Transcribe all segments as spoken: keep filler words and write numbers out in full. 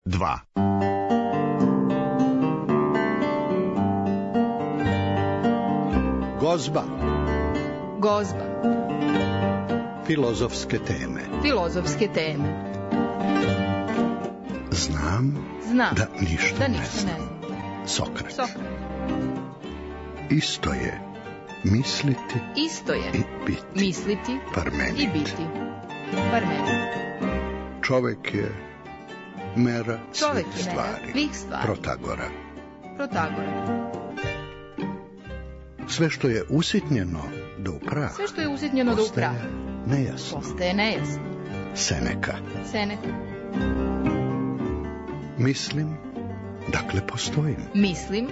dva. Gozba. Gozba. Filozofske teme. Filozofske teme. Znam, Znam da ništa, da ne ništa znam. ne znam. Sokrat. Sokrat. Isto je misliti Isto je i biti. misliti Parmenid. i biti. Parmenid. Čovek je mera Čovek svih je mera stvari. svih stvari. Protagora. Protagora. Sve što je usitnjeno do u prah, Sve što je usitnjeno do u prah postaje nejasno. postaje nejasno. Seneka. Seneka. Mislim, dakle postojim. Mislim,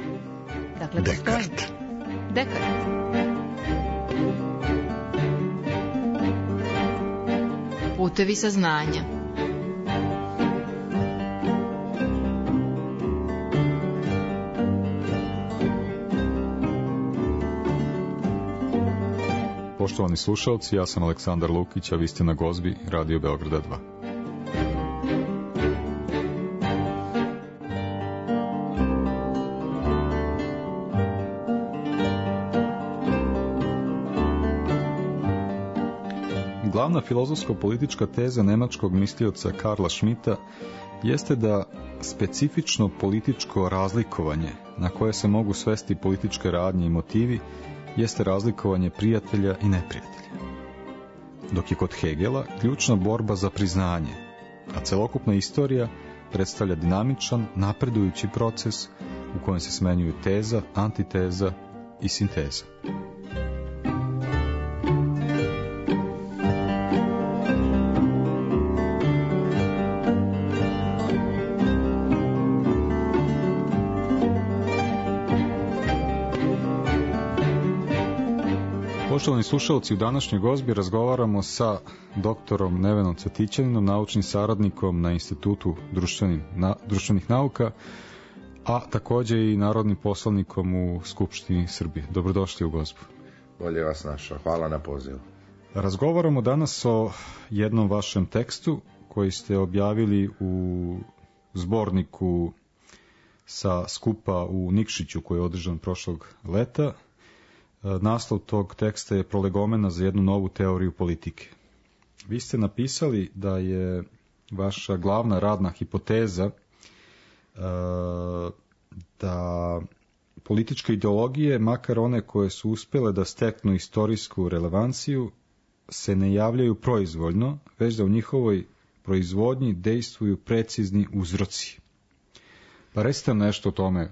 dakle postojim. Dekart. Dekart. Putevi saznanja. Poštovani slušalci, ja sam Aleksandar Lukić, a vi ste na Gozbi, Radio Beograda dva. Glavna filozofsko-politička teza nemačkog mislioca Karla Schmitta jeste da specifično političko razlikovanje na koje se mogu svesti političke radnje i motivi jeste razlikovanje prijatelja i neprijatelja. Dok je kod Hegela ključna borba za priznanje, a celokupna istorija predstavlja dinamičan, napredujući proces u kojem se smenjuju teza, antiteza i sinteza. Poštovani slušalci, u današnjoj Gozbi razgovaramo sa doktorom Nevenom Cvetićaninom, naučnim saradnikom na Institutu društvenih, na, društvenih nauka, a također i narodnim poslanikom u Skupštini Srbije. Dobrodošli u Gozbu. Bolje vas našao. Hvala na pozivu. Razgovaramo danas o jednom vašem tekstu koji ste objavili u zborniku sa skupa u Nikšiću koji je održan prošlog leta. Naslov tog teksta je Prolegomena za jednu novu teoriju politike. Vi ste napisali da je vaša glavna radna hipoteza da političke ideologije, makar one koje su uspjele da steknu istorijsku relevanciju, se ne javljaju proizvoljno, već da u njihovoj proizvodnji dejstvuju precizni uzroci. Pa recite nešto o tome,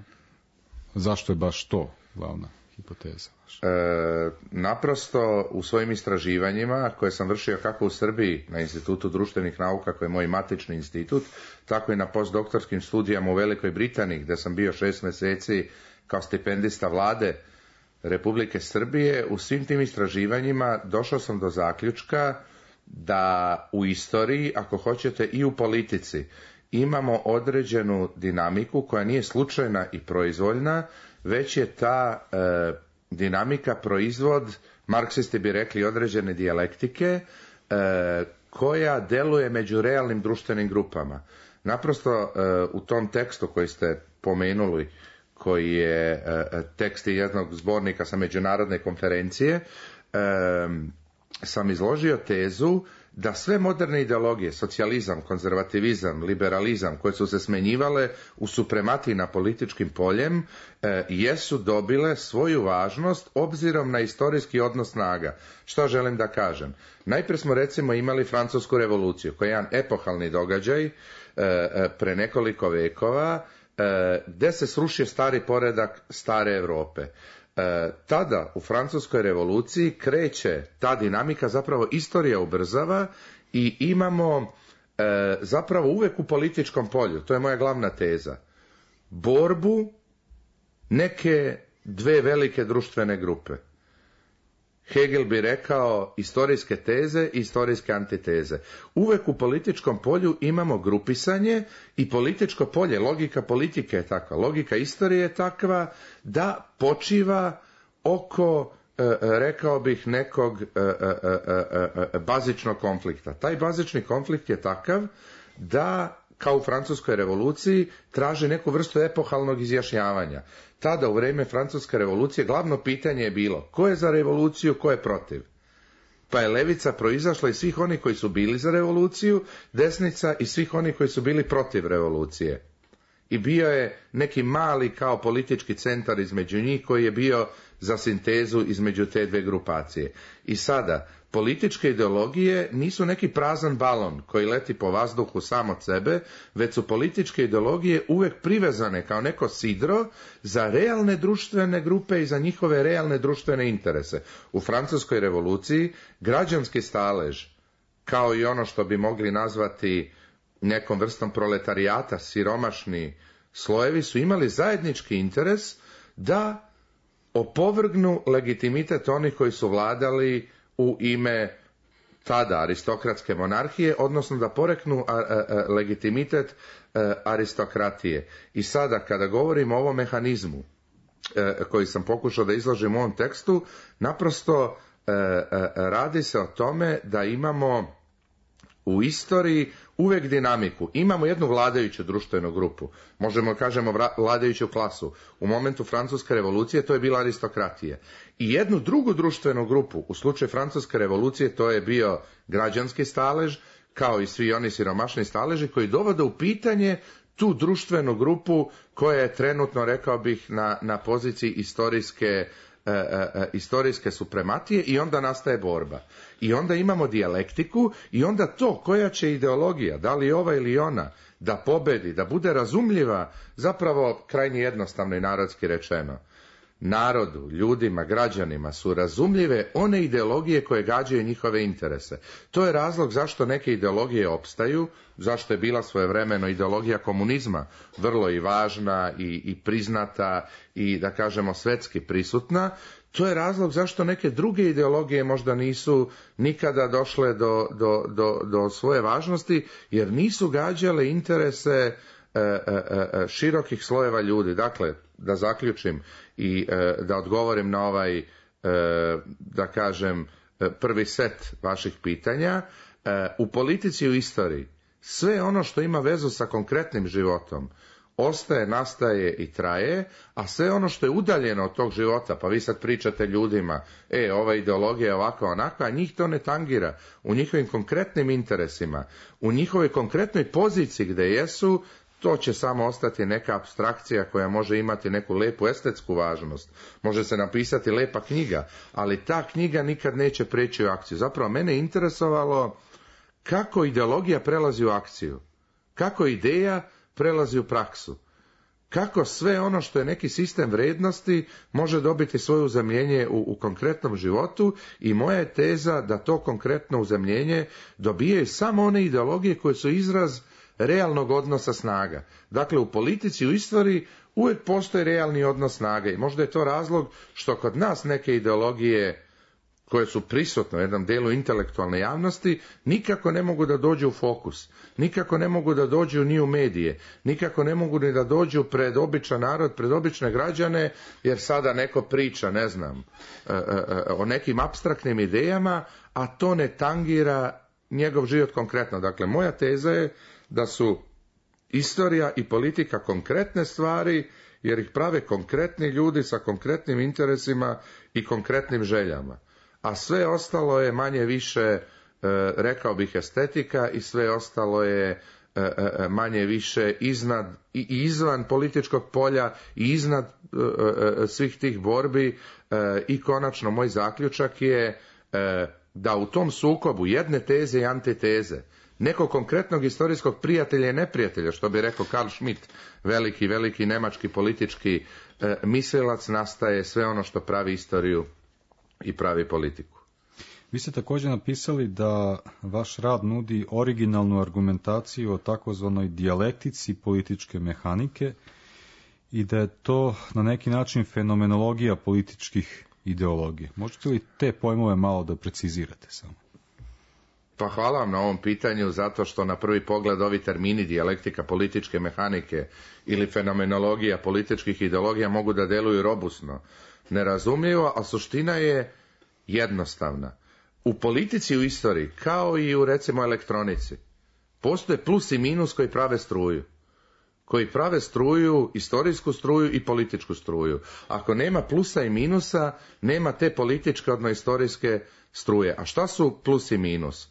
zašto je baš to glavna hipoteza vaša? E, naprosto u svojim istraživanjima koje sam vršio kako u Srbiji na Institutu društvenih nauka koji je moj matični institut, tako i na postdoktorskim studijama u Velikoj Britaniji gdje sam bio šest mjeseci kao stipendista vlade Republike Srbije, u svim tim istraživanjima došao sam do zaključka da u istoriji, ako hoćete i u politici, imamo određenu dinamiku koja nije slučajna i proizvoljna, već je ta e, dinamika proizvod, marksisti bi rekli, određene dijalektike e, koja deluje među realnim društvenim grupama. Naprosto e, u tom tekstu koji ste pomenuli, koji je e, tekst jednog zbornika sa međunarodne konferencije, e, sam izložio tezu da sve moderne ideologije, socijalizam, konzervativizam, liberalizam, koje su se smenjivale u suprematiji na političkim poljem, e, jesu dobile svoju važnost obzirom na istorijski odnos snaga. Što želim da kažem? Najprije smo recimo imali Francusku revoluciju, koja je jedan epohalni događaj e, pre nekoliko vekova, e, gde se srušio stari poredak stare Europe. E, tada u Francuskoj revoluciji kreće ta dinamika, zapravo istorija ubrzava i imamo e, zapravo uvek u političkom polju, to je moja glavna teza, borbu neke dve velike društvene grupe. Hegel bi rekao istorijske teze i istorijske antiteze. Uvek u političkom polju imamo grupisanje i političko polje, logika politike je takva, logika istorije je takva da počiva oko, e, rekao bih, nekog e, e, e, e, bazičnog konflikta. Taj bazični konflikt je takav da kao u Francuskoj revoluciji, traži neku vrstu epohalnog izjašnjavanja. Tada, u vrijeme Francuske revolucije, glavno pitanje je bilo ko je za revoluciju, ko je protiv. Pa je levica proizašla iz svih onih koji su bili za revoluciju, desnica i svih onih koji su bili protiv revolucije. I bio je neki mali kao politički centar između njih koji je bio za sintezu između te dve grupacije. I sada, političke ideologije nisu neki prazan balon koji leti po vazduhu sam od sebe, već su političke ideologije uvijek privezane kao neko sidro za realne društvene grupe i za njihove realne društvene interese. U Francuskoj revoluciji građanski stalež, kao i ono što bi mogli nazvati nekom vrstom proletarijata, siromašni slojevi, su imali zajednički interes da opovrgnu legitimitet onih koji su vladali u ime tada aristokratske monarhije, odnosno da poreknu a, a, a, legitimitet a, aristokratije. I sada kada govorimo o ovom mehanizmu a, koji sam pokušao da izložim u ovom tekstu, naprosto a, a, radi se o tome da imamo u istoriji uvijek dinamiku. Imamo jednu vladajuću društvenu grupu, možemo kažemo vladajuću klasu. U momentu Francuske revolucije to je bila aristokratija. I jednu drugu društvenu grupu, u slučaju Francuske revolucije to je bio građanski stalež, kao i svi oni siromašni staleži koji dovode u pitanje tu društvenu grupu koja je trenutno, rekao bih, na, na poziciji istorijske E, e, istorijske suprematije i onda nastaje borba. I onda imamo dijalektiku i onda to koja će ideologija, da li ova ili ona, da pobedi, da bude razumljiva, zapravo krajnje jednostavno i narodski rečeno. Narodu, ljudima, građanima su razumljive one ideologije koje gađaju njihove interese. To je razlog zašto neke ideologije opstaju, zašto je bila svojevremeno ideologija komunizma vrlo i važna i, i priznata i, da kažemo, svetski prisutna. To je razlog zašto neke druge ideologije možda nisu nikada došle do, do, do, do svoje važnosti, jer nisu gađale interese e, e, e, širokih slojeva ljudi. Dakle, da zaključim i e, da odgovorim na ovaj, e, da kažem, prvi set vaših pitanja. E, u politici i u istoriji sve ono što ima vezu sa konkretnim životom ostaje, nastaje i traje, a sve ono što je udaljeno od tog života, pa vi sad pričate ljudima, e, ova ideologija je ovakva, onakva, a njih to ne tangira. U njihovim konkretnim interesima, u njihovoj konkretnoj poziciji gdje jesu, to će samo ostati neka apstrakcija koja može imati neku lepu estetsku važnost. Može se napisati lepa knjiga, ali ta knjiga nikad neće preći u akciju. Zapravo mene je interesovalo kako ideologija prelazi u akciju, kako ideja prelazi u praksu, kako sve ono što je neki sistem vrednosti može dobiti svoje uzemljenje u, u konkretnom životu, i moja je teza da to konkretno uzemljenje dobijaju samo one ideologije koje su izraz realnog odnosa snaga. Dakle, u politici, u istoriji uvijek postoji realni odnos snaga i možda je to razlog što kod nas neke ideologije koje su prisutne u jednom dijelu intelektualne javnosti nikako ne mogu da dođu u fokus, nikako ne mogu da dođu ni u medije, nikako ne mogu ni da dođu pred običan narod, pred obične građane, jer sada neko priča, ne znam, o nekim apstraktnim idejama, a to ne tangira njegov život konkretno. Dakle, moja teza je da su istorija i politika konkretne stvari, jer ih prave konkretni ljudi sa konkretnim interesima i konkretnim željama. A sve ostalo je manje više, rekao bih, estetika, i sve ostalo je manje više iznad i izvan političkog polja i iznad svih tih borbi. I konačno moj zaključak je da u tom sukobu jedne teze i antiteze, nekog konkretnog historijskog prijatelja i neprijatelja, što bi rekao Karl Schmitt, veliki, veliki nemački politički e, mislilac, nastaje sve ono što pravi istoriju i pravi politiku. Vi ste također napisali da vaš rad nudi originalnu argumentaciju o takozvanoj dijalektici političke mehanike i da je to na neki način fenomenologija političkih ideologija. Možete li te pojmove malo da precizirate samo? Pa hvala vam na ovom pitanju, zato što na prvi pogled ovi termini dijalektika političke mehanike ili fenomenologija političkih ideologija mogu da deluju robusno, nerazumljivo, a suština je jednostavna. U politici i u istoriji, kao i u, recimo, elektronici, Postoje plus i minus koji prave struju. Koji prave struju, istorijsku struju i političku struju. Ako nema plusa i minusa, nema te političke, odnosno istorijske struje. A šta su plus i minus?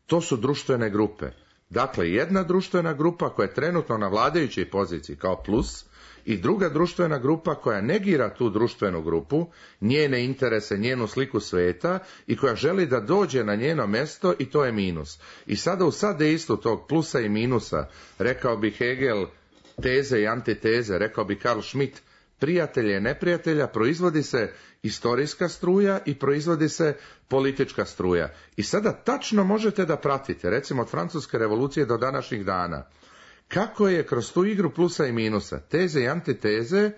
To su društvene grupe. Dakle, jedna društvena grupa koja je trenutno na vladajućoj poziciji kao plus i druga društvena grupa koja negira tu društvenu grupu, njene interese, njenu sliku sveta i koja želi da dođe na njeno mjesto i to je minus. I sada u sadejstvu tog plusa i minusa, rekao bi Hegel, teze i antiteze, rekao bi Karl Schmitt, prijatelja i neprijatelja, proizvodi se istorijska struja i proizvodi se politička struja. I sada tačno možete da pratite, recimo od Francuske revolucije do današnjih dana, kako je kroz tu igru plusa i minusa, teze i antiteze,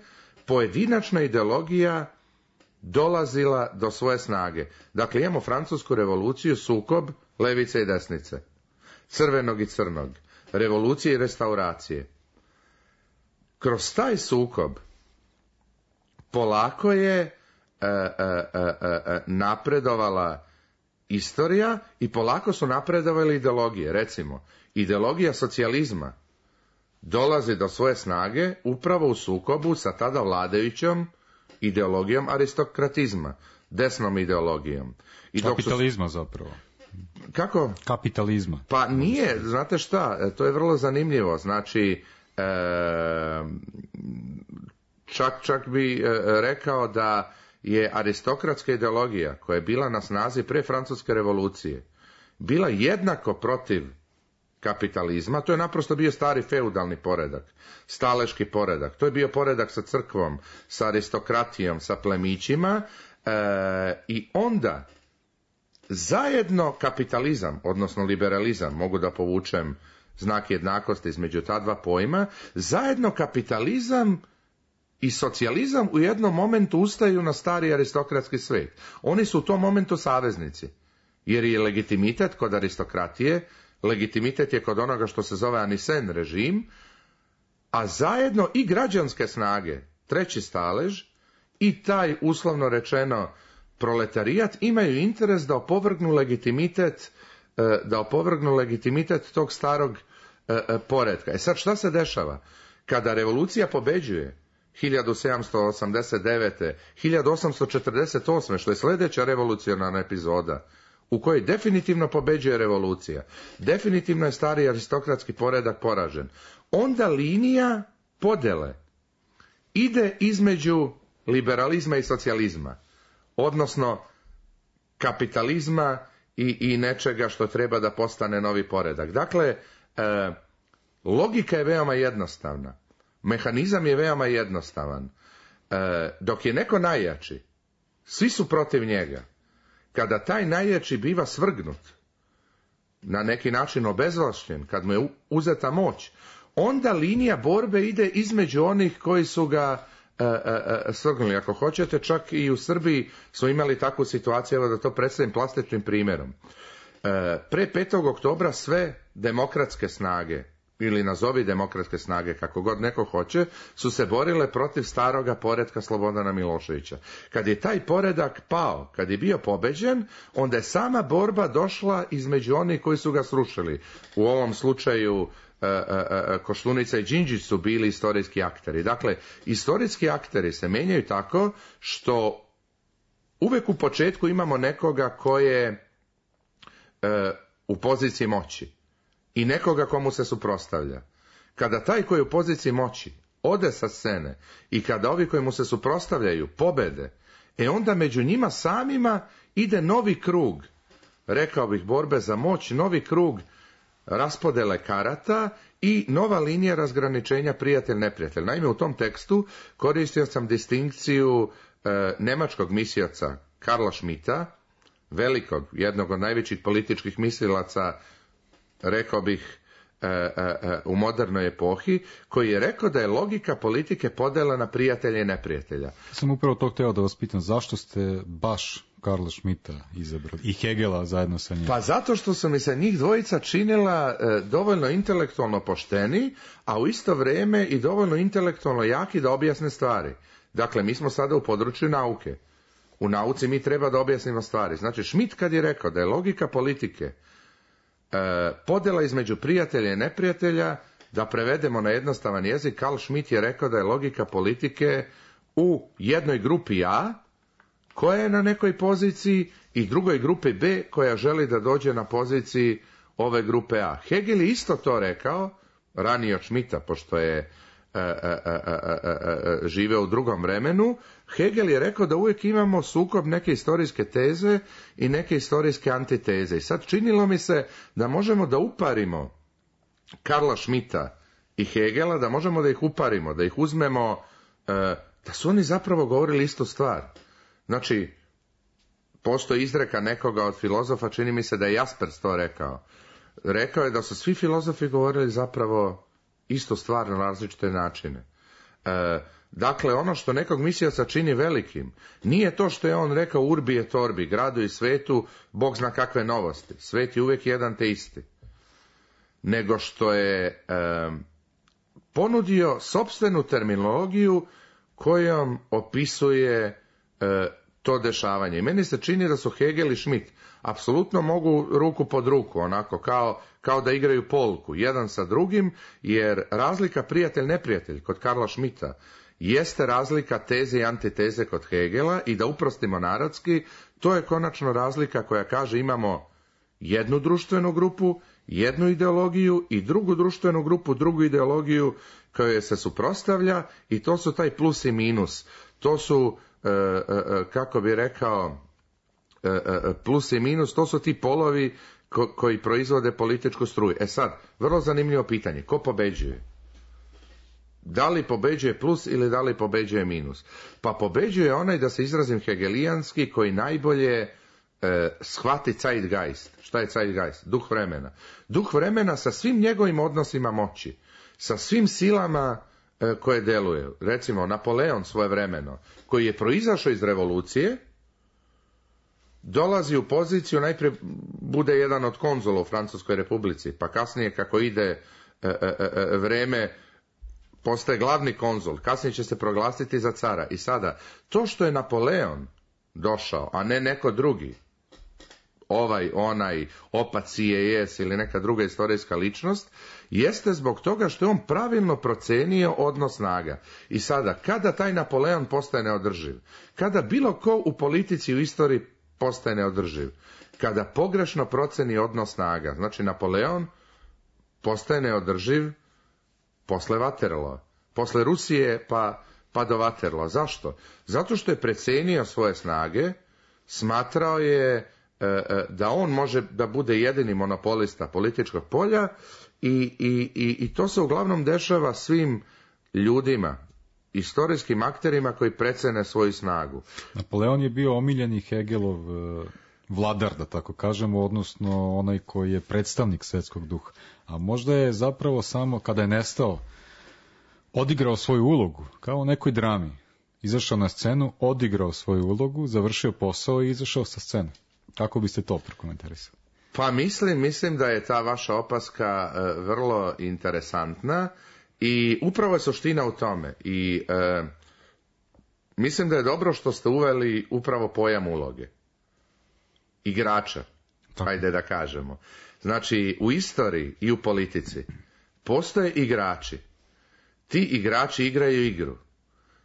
pojedinačna ideologija dolazila do svoje snage. Dakle, imamo Francusku revoluciju, sukob levice i desnice, crvenog i crnog, revolucije i restauracije. Kroz taj sukob polako je e, e, e, e, napredovala istorija i polako su napredovale ideologije. Recimo, ideologija socijalizma dolazi do svoje snage upravo u sukobu sa tada vladajućom ideologijom aristokratizma, desnom ideologijom. I Kapitalizma su... zapravo. Kako? Kapitalizma. Pa nije, znate šta, to je vrlo zanimljivo. Znači, e, čak, čak bi rekao da je aristokratska ideologija koja je bila na snazi pre Francuske revolucije bila jednako protiv kapitalizma. To je naprosto bio stari feudalni poredak, staleški poredak. To je bio poredak sa crkvom, sa aristokratijom, sa plemićima e, i onda zajedno kapitalizam, odnosno liberalizam, mogu da povučem znak jednakosti između ta dva pojma, zajedno kapitalizam i socijalizam u jednom momentu ustaju na stari aristokratski svet. Oni su u tom momentu saveznici, jer je legitimitet kod aristokratije, legitimitet je kod onoga što se zove Anisen režim, a zajedno i građanske snage, treći stalež, i taj uslovno rečeno proletarijat imaju interes da opovrgnu legitimitet, da opovrgnu legitimitet tog starog poretka. E sad šta se dešava? Kada revolucija pobeđuje hiljadu sedamsto osamdeset devete. hiljadu osamsto četrdeset osme. što je sljedeća revolucionarna epizoda, u kojoj definitivno pobeđuje revolucija, definitivno je stari aristokratski poredak poražen, onda linija podele ide između liberalizma i socijalizma, odnosno kapitalizma i, i nečega što treba da postane novi poredak. Dakle, e, logika je veoma jednostavna, mehanizam je veoma jednostavan. E, dok je neko najjači, svi su protiv njega. Kada taj najjači biva svrgnut, na neki način obezvlašćen, kad mu je uzeta moć, onda linija borbe ide između onih koji su ga e, e, svrgnuli. Ako hoćete, čak i u Srbiji smo imali takvu situaciju, evo da to predstavim plastičnim primjerom. E, pre petog oktobra sve demokratske snage, ili nazovi demokratske snage, kako god neko hoće, su se borile protiv staroga poretka Slobodana Miloševića. Kad je taj poredak pao, kad je bio pobeđen, onda je sama borba došla između onih koji su ga srušili. U ovom slučaju e, e, Koštunica i Đinđić su bili istorijski akteri. Dakle, istorijski akteri se menjaju tako što uvek u početku imamo nekoga ko je e, u poziciji moći i nekoga komu se suprotstavlja. Kada taj koji je u poziciji moći ode sa scene i kada ovi koji mu se suprotstavljaju pobede, e onda među njima samima ide novi krug, rekao bih, borbe za moć, novi krug raspodele karata i nova linija razgraničenja prijatelj-neprijatelj. Naime, u tom tekstu koristio sam distinkciju e, nemačkog mislioca Karla Schmitta, velikog, jednog od najvećih političkih mislilaca, rekao bih, e, e, u modernoj epohi, koji je rekao da je logika politike podela na prijatelja i neprijatelja. Sam upravo to htio da vas pitam, zašto ste baš Karla Schmitta izabrali i Hegela zajedno sa njim? Pa zato što su mi se njih dvojica činila e, dovoljno intelektualno pošteni, a u isto vrijeme i dovoljno intelektualno jaki da objasne stvari. Dakle, mi smo sada u području nauke. U nauci mi treba da objasnimo stvari. Znači, Schmitt kad je rekao da je logika politike e, podjela između prijatelja i neprijatelja, da prevedemo na jednostavan jezik, Carl Schmitt je rekao da je logika politike u jednoj grupi A, koja je na nekoj poziciji, i drugoj grupi B, koja želi da dođe na poziciji ove grupe A. Hegel je isto to rekao, ranije od Schmidta, pošto je e, e, e, e, e, živeo u drugom vremenu. Hegel je rekao da uvijek imamo sukob neke historijske teze i neke historijske antiteze. I sad činilo mi se da možemo da uparimo Karla Schmidta i Hegela, da možemo da ih uparimo, da ih uzmemo, e, da su oni zapravo govorili istu stvar. Znači, postoji izreka nekoga od filozofa, čini mi se da je Jaspers to rekao. Rekao je da su svi filozofi govorili zapravo istu stvar na različite načine. E, dakle, ono što nekog mislioca čini velikim, nije to što je on rekao urbi et orbi, gradu i svetu, Bog zna kakve novosti. Svet je uvijek jedan te isti. Nego što je e, ponudio sopstvenu terminologiju kojom opisuje e, to dešavanje. I meni se čini da su Hegel i Schmitt apsolutno mogu ruku pod ruku, onako kao, kao da igraju polku, jedan sa drugim, jer razlika prijatelj-neprijatelj kod Karla Schmidta jeste razlika teze i antiteze kod Hegela, i da uprostimo narodski, to je konačno razlika koja kaže imamo jednu društvenu grupu, jednu ideologiju i drugu društvenu grupu, drugu ideologiju kojoj se suprotstavlja, i to su taj plus i minus. To su, e, e, kako bi rekao, e, e, plus i minus, to su ti polovi ko, koji proizvode političku struju. E sad, vrlo zanimljivo pitanje, ko pobeđuje? Da li pobeđuje plus ili da li pobeđuje minus? Pa pobeđuje onaj, da se izrazim hegelijanski, koji najbolje e, shvati Zeitgeist. Šta je Zeitgeist? Duh vremena. Duh vremena sa svim njegovim odnosima moći, sa svim silama e, koje deluju. Recimo, Napoleon svojevremeno, koji je proizašao iz revolucije, dolazi u poziciju, najprije bude jedan od konzula u Francuskoj republici, pa kasnije kako ide e, e, e, vreme, postaje glavni konzul, kasnije će se proglasiti za cara. I sada, to što je Napoleon došao, a ne neko drugi, ovaj, onaj, opac C I S ili neka druga istorijska ličnost, jeste zbog toga što je on pravilno procenio odnos snaga. I sada, kada taj Napoleon postaje neodrživ, kada bilo ko u politici u istoriji postaje neodrživ, kada pogrešno proceni odnos snaga, znači Napoleon postaje neodrživ posle Waterloo, posle Rusije pa, pa do Waterloo. Zašto? Zato što je precenio svoje snage, smatrao je da on može da bude jedini monopolista političkog polja, i, i, i, i to se uglavnom dešava svim ljudima, istorijskim akterima koji precene svoju snagu. Napoleon je bio omiljeni Hegelov vladar, da tako kažemo, odnosno onaj koji je predstavnik svetskog duha. A možda je zapravo samo kada je nestao odigrao svoju ulogu, kao u nekoj drami. Izašao na scenu, odigrao svoju ulogu, završio posao i izašao sa scene. Kako biste to prokomentarisali? Pa mislim, mislim da je ta vaša opaska e, vrlo interesantna, i upravo je suština u tome. I e, mislim da je dobro što ste uveli upravo pojam uloge. Igrača, tako, hajde da kažemo. Znači, u istoriji i u politici postoje igrači. Ti igrači igraju igru.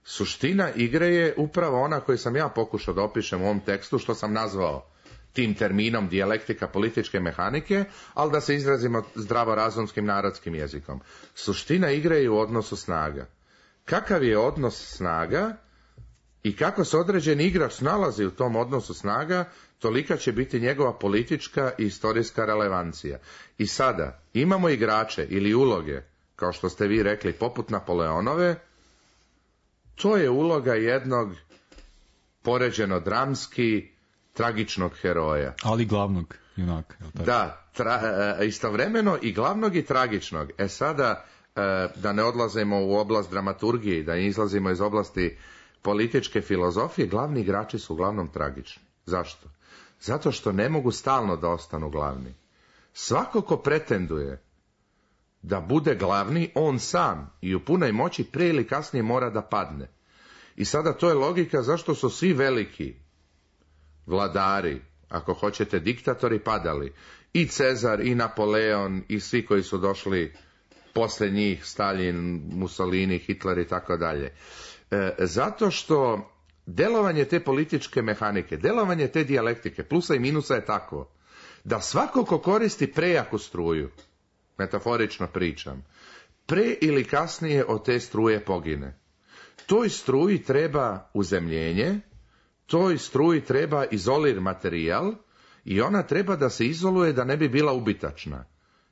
Suština igre je upravo ona koju sam ja pokušao da opišem u ovom tekstu, što sam nazvao tim terminom dijalektika političke mehanike, ali da se izrazimo zdravorazumskim narodskim jezikom. Suština igre je u odnosu snaga. Kakav je odnos snaga i kako se određeni igrač nalazi u tom odnosu snaga, tolika će biti njegova politička i istorijska relevancija. I sada imamo igrače ili uloge, kao što ste vi rekli, poput Napoleonove. To je uloga jednog poređeno dramski tragičnog heroja. Ali glavnog junaka. Da, tra, istovremeno i glavnog i tragičnog. E sada, da ne odlazimo u oblast dramaturgije, da izlazimo iz oblasti političke filozofije, glavni igrači su uglavnom tragični. Zašto? Zato što ne mogu stalno da ostanu glavni. Svako ko pretenduje da bude glavni, on sam i u punoj moći prije ili kasnije mora da padne. I sada to je logika zašto su svi veliki vladari, ako hoćete diktatori, padali. i Cezar, i Napoleon, i svi koji su došli posle njih, Stalin, Mussolini, Hitler i tako dalje. Zato što delovanje te političke mehanike, delovanje te dijalektike, plusa i minusa je takvo, da svako ko koristi prejaku struju, metaforično pričam, pre ili kasnije od te struje pogine. Toj struji treba uzemljenje, toj struji treba izolir materijal i ona treba da se izoluje da ne bi bila ubitačna.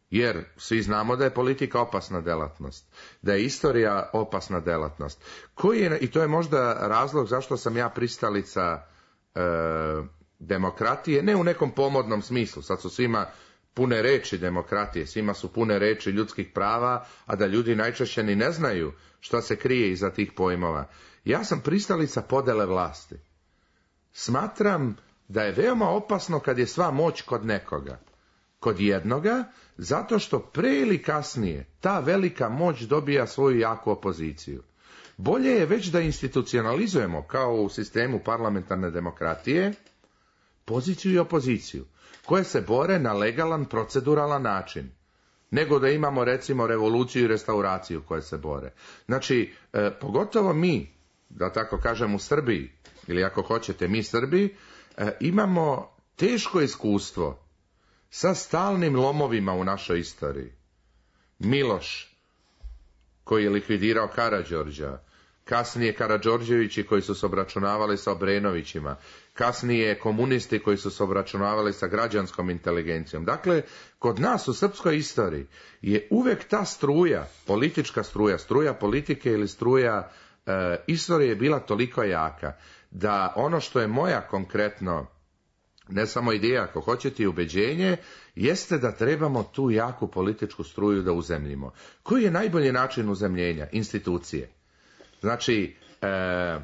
Jer svi znamo da je politika opasna delatnost, da je istorija opasna delatnost. Koji je, i to je možda razlog zašto sam ja pristalica e, demokratije, ne u nekom pomodnom smislu, sad su svima pune reči demokratije, svima su pune reči ljudskih prava, a da ljudi najčešće ni ne znaju šta se krije iza tih pojmova. Ja sam pristalica podele vlasti. Smatram da je veoma opasno kad je sva moć kod nekoga. Kod jednoga, zato što pre ili kasnije ta velika moć dobija svoju jaku opoziciju. Bolje je već da institucionalizujemo, kao u sistemu parlamentarne demokratije, poziciju i opoziciju, koje se bore na legalan, proceduralan način, nego da imamo recimo revoluciju i restauraciju koje se bore. Znači, e, pogotovo mi, da tako kažem u Srbiji, ili ako hoćete mi Srbi, e, imamo teško iskustvo sa stalnim lomovima u našoj istoriji. Miloš, koji je likvidirao Karađorđa, kasnije Karađorđevići koji su se obračunavali sa Obrenovićima, kasnije komunisti koji su se obračunavali sa građanskom inteligencijom. Dakle, kod nas u srpskoj istoriji je uvek ta struja, politička struja, struja politike ili struja e, istorije je bila toliko jaka, da ono što je moja konkretno, ne samo ideja, ako hoćete i ubeđenje, jeste da trebamo tu jaku političku struju da uzemljimo. Koji je najbolji način uzemljenja? Institucije. Znači, e,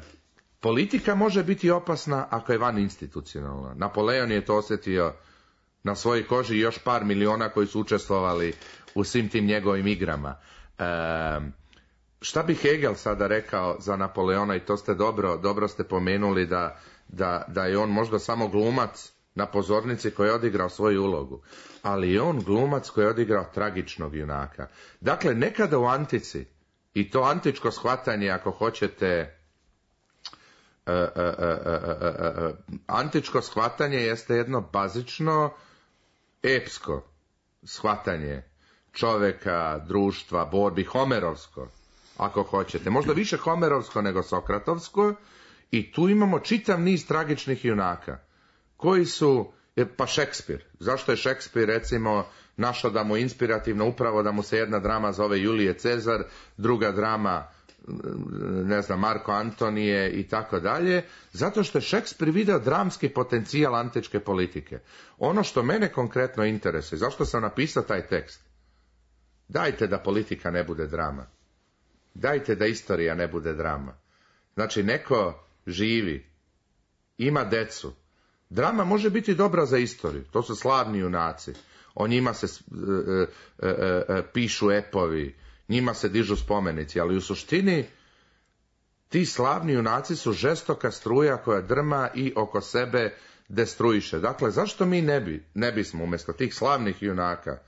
politika može biti opasna ako je van institucionalna. Napoleon je to osjetio na svojoj koži i još par miliona koji su učestvovali u svim tim njegovim igrama. E, šta bi Hegel sada rekao za Napoleona, i to ste dobro, dobro ste pomenuli da, da, da je on možda samo glumac na pozornici koji je odigrao svoju ulogu, ali je on glumac koji je odigrao tragičnog junaka. Dakle, nekada u antici, i to antičko shvatanje, ako hoćete, uh, uh, uh, uh, uh, antičko shvatanje jeste jedno bazično, epsko shvatanje čoveka, društva, borbi, homerovsko, ako hoćete. Možda više homerovsko nego sokratovsko, i tu imamo čitav niz tragičnih junaka, koji su, pa Šekspir. Zašto je Šekspir, recimo, našao da mu je inspirativno upravo da mu se jedna drama zove Julije Cezar, druga drama, ne znam, Marko Antonije i tako dalje, zato što je Šekspir video dramski potencijal antičke politike. Ono što mene konkretno interesuje, zašto sam napisao taj tekst? Dajte da politika ne bude drama. Dajte da istorija ne bude drama. Znači, neko živi, ima decu. Drama može biti dobra za istoriju, to su slavni junaci. O njima se e, e, e, pišu epovi, njima se dižu spomenici, ali u suštini ti slavni junaci su žestoka struja koja drma i oko sebe destruiše. Dakle, zašto mi ne bi, ne bismo umjesto tih slavnih junaka,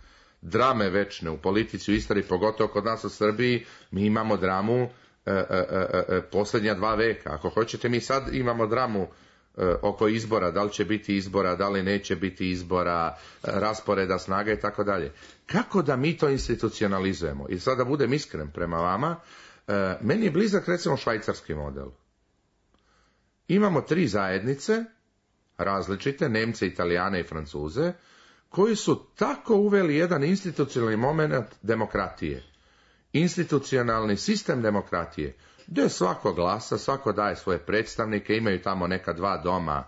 drame večne u politici, u istoriji, pogotovo kod nas u Srbiji, mi imamo dramu e, e, e, e, posljednja dva veka. Ako hoćete, mi sad imamo dramu oko izbora, da li će biti izbora, da li neće biti izbora, rasporeda snaga i tako dalje. Kako da mi to institucionalizujemo? I sada da budem iskren prema vama, meni je blizak recimo švajcarski model. Imamo tri zajednice, različite, Nemce, Italijane i Francuze, koji su tako uveli jedan institucionalni moment demokratije. Institucionalni sistem demokratije, gdje svako glasa, svako daje svoje predstavnike, imaju tamo neka dva doma,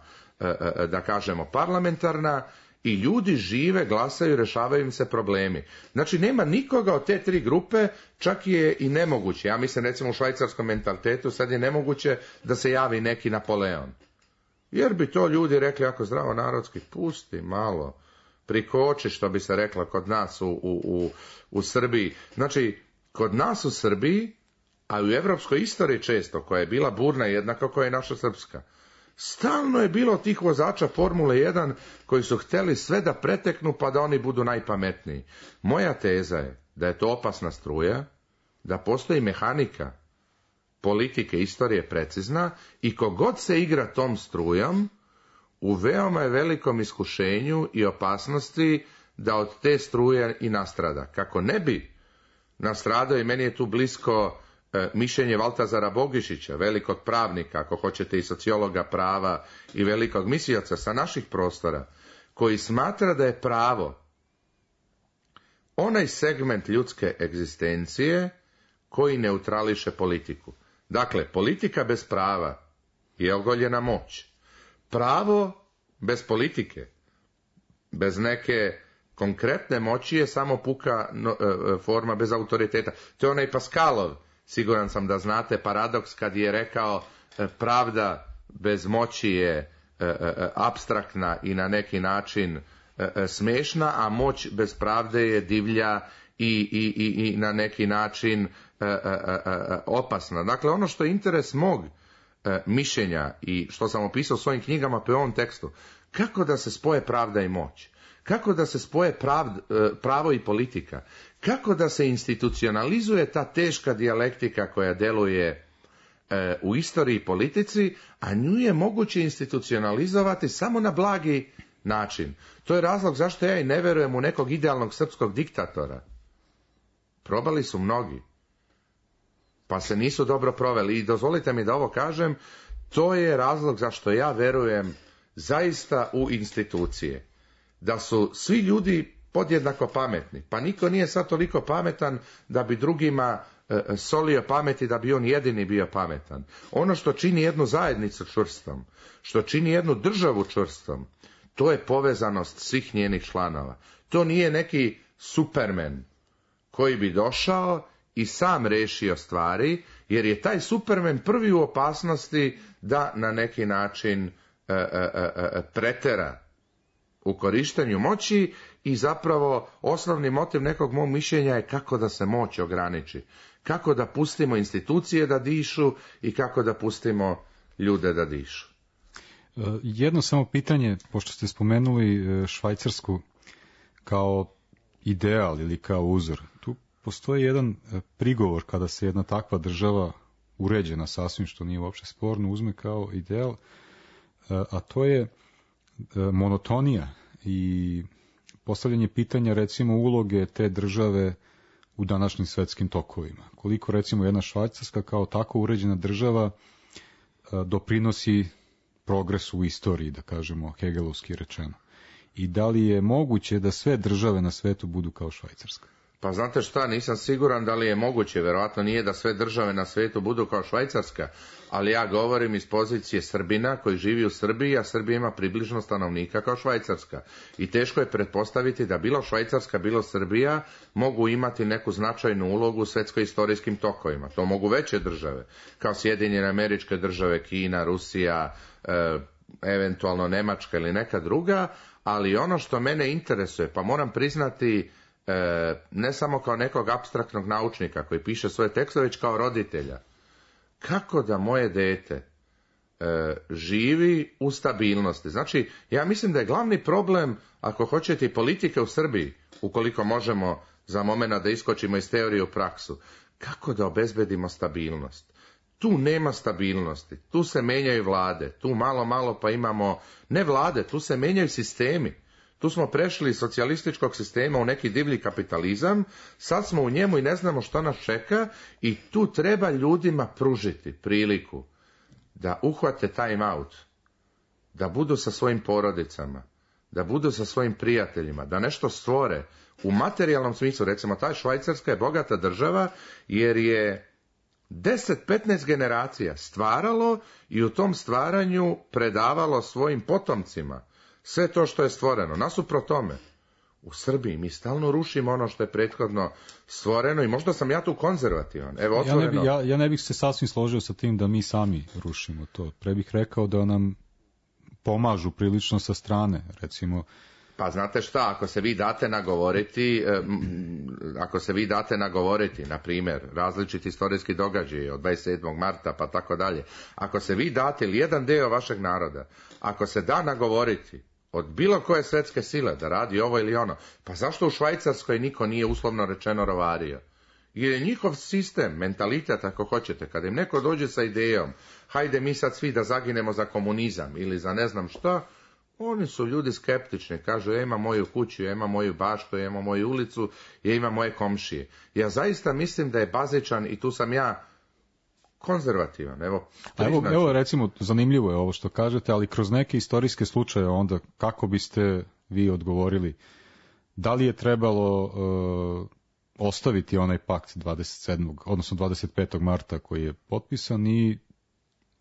da kažemo, parlamentarna, i ljudi žive, glasaju, rešavaju im se problemi. Znači, nema nikoga od te tri grupe, čak je i nemoguće. Ja mislim, recimo, u švajcarskom mentalitetu sad je nemoguće da se javi neki Napoleon. Jer bi to ljudi rekli, ako zdravo narodski, pusti malo, prikoči, što bi se rekla kod nas u, u, u, u Srbiji. Znači, kod nas u Srbiji, a u evropskoj istoriji često, koja je bila burna jednako koja je naša srpska, Stalno je bilo tih vozača Formule jedan koji su htjeli sve da preteknu pa da oni budu najpametniji. Moja teza je da je to opasna struja, da postoji mehanika politike, istorije precizna i kogod se igra tom strujom, u veoma je velikom iskušenju i opasnosti da od te struje i nastrada. Kako ne bi nastradao, i meni je tu blisko e, mišljenje Valtazara Bogišića, velikog pravnika, ako hoćete i sociologa prava i velikog mislioca sa naših prostora, koji smatra da je pravo onaj segment ljudske egzistencije koji neutrališe politiku. Dakle, politika bez prava je ogoljena moć. Pravo bez politike, bez neke konkretne moći je samo puka no, e, forma bez autoriteta. To je onaj Pascalov, siguran sam da znate, paradoks kad je rekao e, pravda bez moći je e, e, apstraktna i na neki način e, e, smešna, a moć bez pravde je divlja i, i, i, i na neki način e, e, e, opasna. Dakle, ono što je interes mog e, mišljenja i što sam opisao u svojim knjigama po ovom tekstu, kako da se spoje pravda i moć, kako da se spoje pravd, e, pravo i politika, kako da se institucionalizuje ta teška dijalektika koja deluje e, u istoriji i politici, a nju je moguće institucionalizovati samo na blagi način. To je razlog zašto ja i ne verujem u nekog idealnog srpskog diktatora. Probali su mnogi, pa se nisu dobro proveli. I dozvolite mi da ovo kažem, to je razlog zašto ja verujem zaista u institucije. Da su svi ljudi podjednako pametni. Pa niko nije sad toliko pametan da bi drugima e, solio pameti, da bi on jedini bio pametan. Ono što čini jednu zajednicu čvrstom, što čini jednu državu čvrstom, to je povezanost svih njenih članova. To nije neki Superman koji bi došao i sam rešio stvari, jer je taj Superman prvi u opasnosti da na neki način e, e, e, pretera u korištenju moći i zapravo osnovni motiv nekog mog mišljenja je kako da se moć ograniči. Kako da pustimo institucije da dišu i kako da pustimo ljude da dišu. Jedno samo pitanje, pošto ste spomenuli Švajcarsku kao ideal ili kao uzor. Tu postoji jedan prigovor kada se jedna takva država uređena sasvim, što nije uopće sporno, uzme kao ideal, a to je monotonija i postavljanje pitanja recimo uloge te države u današnjim svetskim tokovima. Koliko recimo jedna Švajcarska kao tako uređena država doprinosi progresu u istoriji, da kažemo hegelovski rečeno. I da li je moguće da sve države na svetu budu kao Švajcarska? Pa znate šta, nisam siguran da li je moguće, verovatno nije da sve države na svijetu budu kao Švajcarska, ali ja govorim iz pozicije Srbina koji živi u Srbiji, a Srbija ima približno stanovnika kao Švajcarska. I teško je pretpostaviti da bilo Švajcarska, bilo Srbija mogu imati neku značajnu ulogu u svetsko-istorijskim tokovima. To mogu veće države, kao Sjedinjene Američke Države, Kina, Rusija, e, eventualno Nemačka ili neka druga, ali ono što mene interesuje, pa moram priznati, E, ne samo kao nekog apstraktnog naučnika koji piše svoje tekstove, već kao roditelja. Kako da moje dete e, živi u stabilnosti? Znači, ja mislim da je glavni problem, ako hoćete, i politike u Srbiji, ukoliko možemo za moment da iskočimo iz teorije u praksu, kako da obezbedimo stabilnost. Tu nema stabilnosti, tu se menjaju vlade, tu malo malo pa imamo, ne vlade, tu se menjaju sistemi. Tu smo prešli iz socijalističkog sistema u neki divlji kapitalizam, sad smo u njemu i ne znamo što nas čeka i tu treba ljudima pružiti priliku da uhvate time out, da budu sa svojim porodicama, da budu sa svojim prijateljima, da nešto stvore u materijalnom smislu. Recimo, ta Švajcarska je bogata država jer je deset petnaest generacija stvaralo i u tom stvaranju predavalo svojim potomcima sve to što je stvoreno. Nasuprot tome, u Srbiji mi stalno rušimo ono što je prethodno stvoreno i možda sam ja tu konzervativan. Evo, otvoreno. Ja ne, bi, ja, ja ne bih se sasvim složio sa tim da mi sami rušimo to. Pre bih rekao da nam pomažu prilično sa strane. Recimo, Pa znate šta, ako se vi date nagovoriti, ako se vi date nagovoriti, na primjer, različiti istorijski događaji od dvadeset sedmog marta pa tako dalje, ako se vi date ili jedan deo vašeg naroda, ako se da nagovoriti od bilo koje svjetske sile da radi ovo ili ono, pa zašto u Švajcarskoj niko nije uslovno rečeno rovario? Jer je njihov sistem, mentalitet ako hoćete, kada im neko dođe sa idejom, hajde mi sad svi da zaginemo za komunizam ili za ne znam šta, oni su ljudi skeptični, kažu ja imam moju kuću, ja imam moju baštu, ja imam moju ulicu, ja imam moje komšije. Ja zaista mislim da je bazičan i tu sam ja konzervativan. Evo, evo, evo recimo, zanimljivo je ovo što kažete, ali kroz neke istorijske slučaje onda kako biste vi odgovorili? Da li je trebalo uh, ostaviti onaj pakt dvadeset sedmog odnosno dvadeset petog marta koji je potpisan i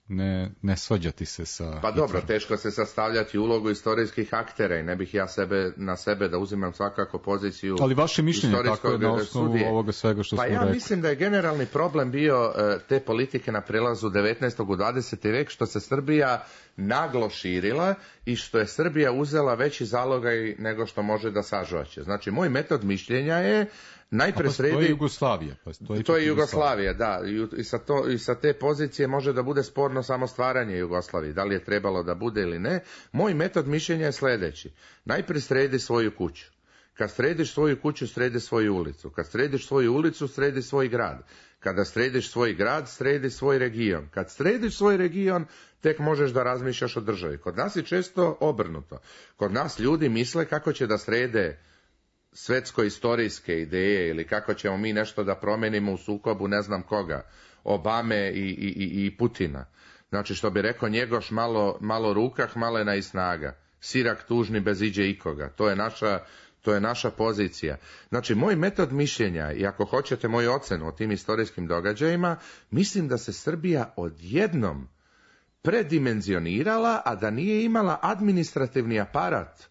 ne, ne svađati se sa... Pa dobro, teško se sastavljati ulogu istorijskih aktera i ne bih ja sebe, na sebe da uzimam svakako poziciju... Ali vaše mišljenje tako je na osnovu sudije. Ovoga svega što pa smo ja rekli. Mislim da je generalni problem bio te politike na prelazu devetnaestog u dvadeseti vek, što se Srbija naglo širila i što je Srbija uzela veći zalogaj nego što može da sažvaće. Znači, moj metod mišljenja je najpre sredi... To je Jugoslavija. Pa to je, to je Jugoslavija, da. I sa, to, I sa te pozicije može da bude sporno samo stvaranje Jugoslavije. Da li je trebalo da bude ili ne. Moj metod mišljenja je sljedeći. Najpre sredi svoju kuću. Kad središ svoju kuću, sredi svoju ulicu. Kad središ svoju ulicu, sredi svoj grad. Kada središ svoj grad, sredi svoj region. Kad središ svoj region, tek možeš da razmišljaš o državi. Kod nas je često obrnuto. Kod nas ljudi misle kako će da srede svetsko-istorijske ideje ili kako ćemo mi nešto da promenimo u sukobu ne znam koga, Obame i, i, i Putina. Znači, što bi rekao Njegoš, malo, malo rukah, malena i snaga. Sirak tužni bez iđe ikoga. To je naša, to je naša pozicija. Znači, moj metod mišljenja, i ako hoćete moju ocenu o tim istorijskim događajima, mislim da se Srbija odjednom predimenzionirala, a da nije imala administrativni aparat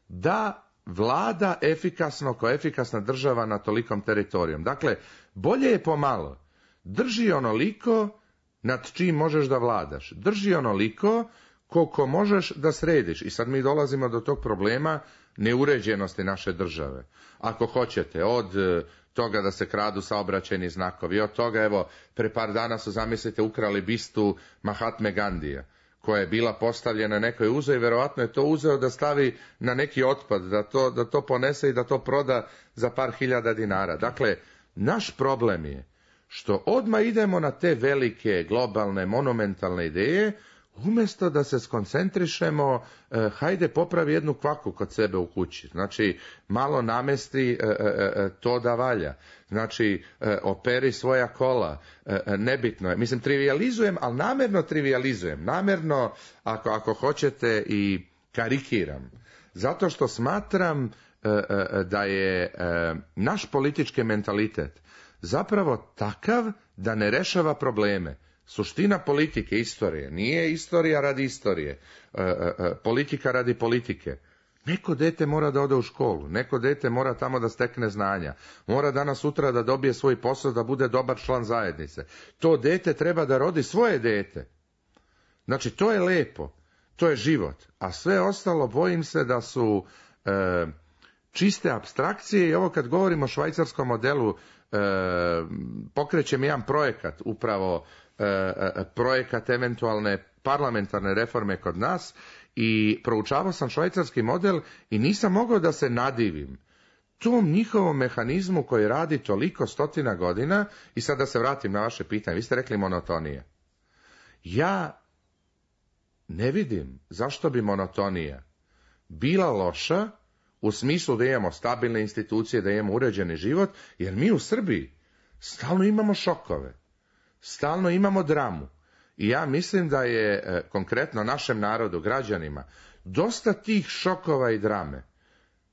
da vlada efikasno kao efikasna država na tolikom teritorijom. Dakle, bolje je pomalo. Drži onoliko nad čim možeš da vladaš. Drži onoliko koliko možeš da središ. I sad mi dolazimo do tog problema neuređenosti naše države. Ako hoćete, od toga da se kradu saobraćajni znakovi, od toga, evo, pre par dana su, zamislite, ukrali bistu Mahatme Gandija, koja je bila postavljena, neko je uzeo i verovatno je to uzeo da stavi na neki otpad, da to, da to ponese i da to proda za par hiljada dinara. Dakle, naš problem je što odmah idemo na te velike, globalne, monumentalne ideje, umjesto da se skoncentrišemo, eh, hajde popravi jednu kvaku kod sebe u kući. Znači, malo namesti eh, eh, to da valja. Znači, eh, operi svoja kola. Eh, nebitno je. Mislim, trivializujem, ali namjerno trivializujem. Namjerno, ako, ako hoćete, i karikiram. Zato što smatram eh, eh, da je eh, naš politički mentalitet zapravo takav da ne rešava probleme. Suština politike, istorije, nije istorija radi istorije, e, e, politika radi politike. Neko dete mora da ode u školu, neko dete mora tamo da stekne znanja, mora danas sutra da dobije svoj posao, da bude dobar član zajednice. To dete treba da rodi svoje dete. Znači, to je lepo, to je život, a sve ostalo bojim se da su e, čiste apstrakcije. I ovo kad govorimo o švajcarskom modelu, e, pokrećem jedan projekat, upravo projekat eventualne parlamentarne reforme kod nas, i proučavao sam švajcarski model i nisam mogao da se nadivim tom njihovom mehanizmu koji radi toliko stotina godina. I sad da se vratim na vaše pitanje, vi ste rekli monotonija. Ja ne vidim zašto bi monotonija bila loša u smislu da imamo stabilne institucije, da imamo uređeni život, jer mi u Srbiji stalno imamo šokove. Stalno imamo dramu. I ja mislim da je e, konkretno našem narodu, građanima, dosta tih šokova i drame.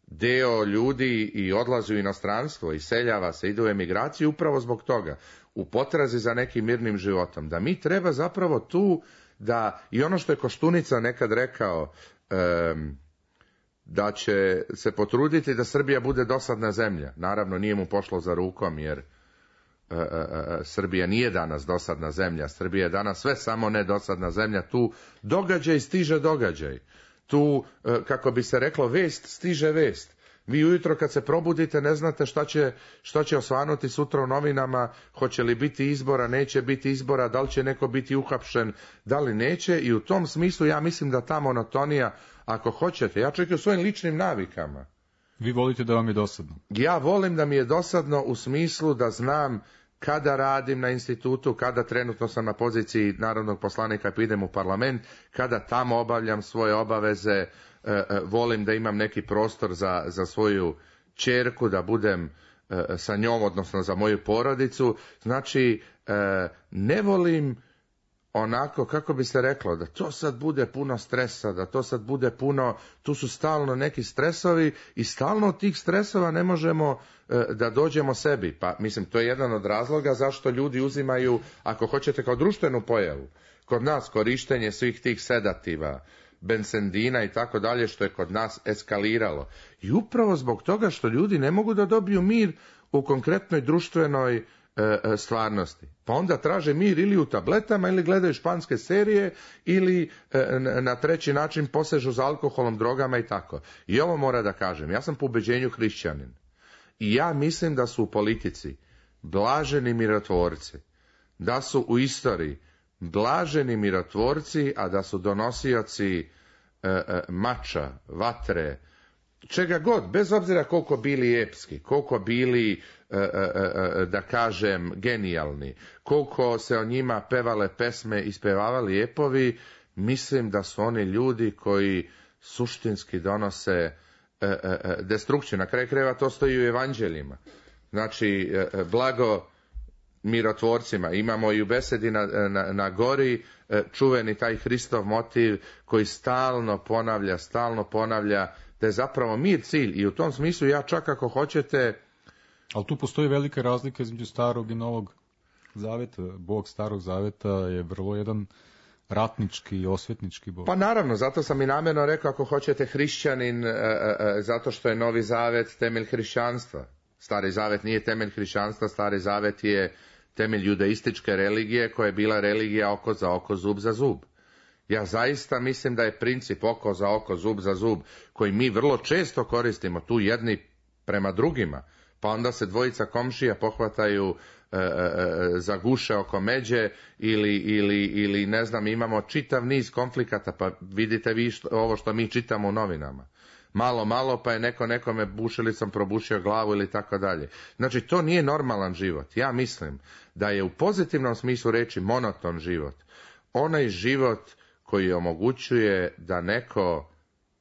Deo ljudi i odlazi u inostranstvo, i seljava se, ide u emigraciju upravo zbog toga, u potrazi za nekim mirnim životom. Da mi treba zapravo tu da, i ono što je Koštunica nekad rekao, e, da će se potruditi da Srbija bude dosadna zemlja. Naravno, nije mu pošlo za rukom, jer E, e, e, Srbija nije danas dosadna zemlja. Srbija je danas sve samo ne dosadna zemlja. Tu događaj stiže događaj. tu, kako bi se reklo, vest stiže vest. Vi ujutro kad se probudite ne znate šta će, šta će osvanuti sutra u novinama, hoće li biti izbora, neće biti izbora, da li će neko biti uhapšen, da li neće, i u tom smislu ja mislim da ta monotonija, ako hoćete, ja čak i u svojim ličnim navikama. Vi volite da vam je dosadno? Ja volim da mi je dosadno u smislu da znam kada radim na institutu, kada trenutno sam na poziciji narodnog poslanika pa idem u parlament, kada tamo obavljam svoje obaveze, e, e, volim da imam neki prostor za, za svoju ćerku, da budem e, sa njom, odnosno za moju porodicu. Znači, e, ne volim onako, kako bi se reklo, da to sad bude puno stresa, da to sad bude puno, tu su stalno neki stresovi i stalno od tih stresova ne možemo e, da dođemo sebi. Pa mislim, to je jedan od razloga zašto ljudi uzimaju, ako hoćete, kao društvenu pojavu. Kod nas korištenje svih tih sedativa, bensendina i tako dalje, što je kod nas eskaliralo. I upravo zbog toga što ljudi ne mogu da dobiju mir u konkretnoj društvenoj stvarnosti. Pa onda traže mir ili u tabletama, ili gledaju španske serije, ili na treći način posežu za alkoholom, drogama i tako. I ovo mora da kažem, ja sam po ubeđenju hrišćanin. I ja mislim da su u politici blaženi mirotvorci, da su u istoriji blaženi mirotvorci, a da su donosioci e, e, mača, vatre, čega god, bez obzira koliko bili epski, koliko bili, e, e, e, da kažem, genijalni, koliko se o njima pevale pesme i spevavali epovi, mislim da su oni ljudi koji suštinski donose e, e, destrukciju. Na kraju krajeva to stoji u evanđeljima. Znači, e, blago mirotvorcima. Imamo i u besedi na, na, na gori e, čuveni taj Hristov motiv koji stalno ponavlja, stalno ponavlja da je zapravo mir cilj, i u tom smislu ja čak ako hoćete... Ali tu postoji velika razlika između starog i novog zaveta. Bog starog zaveta je vrlo jedan ratnički i osvetnički Bog. Pa naravno, zato sam i namjerno rekao ako hoćete hrišćanin, e, e, zato što je novi zavet temelj hrišćanstva. Stari zavet nije temelj hrišćanstva, stari zavet je temelj judaističke religije koja je bila religija oko za oko, zub za zub. Ja zaista mislim da je princip oko za oko, zub za zub, koji mi vrlo često koristimo tu jedni prema drugima, pa onda se dvojica komšija pohvataju e, e, za guše oko međe ili, ili, ili ne znam, imamo čitav niz konflikata, pa vidite vi što, ovo što mi čitamo u novinama. Malo, malo pa je neko nekome bušilicom probušio glavu ili tako dalje. Znači, to nije normalan život. Ja mislim da je u pozitivnom smislu reći monoton život. Onaj život koji omogućuje da neko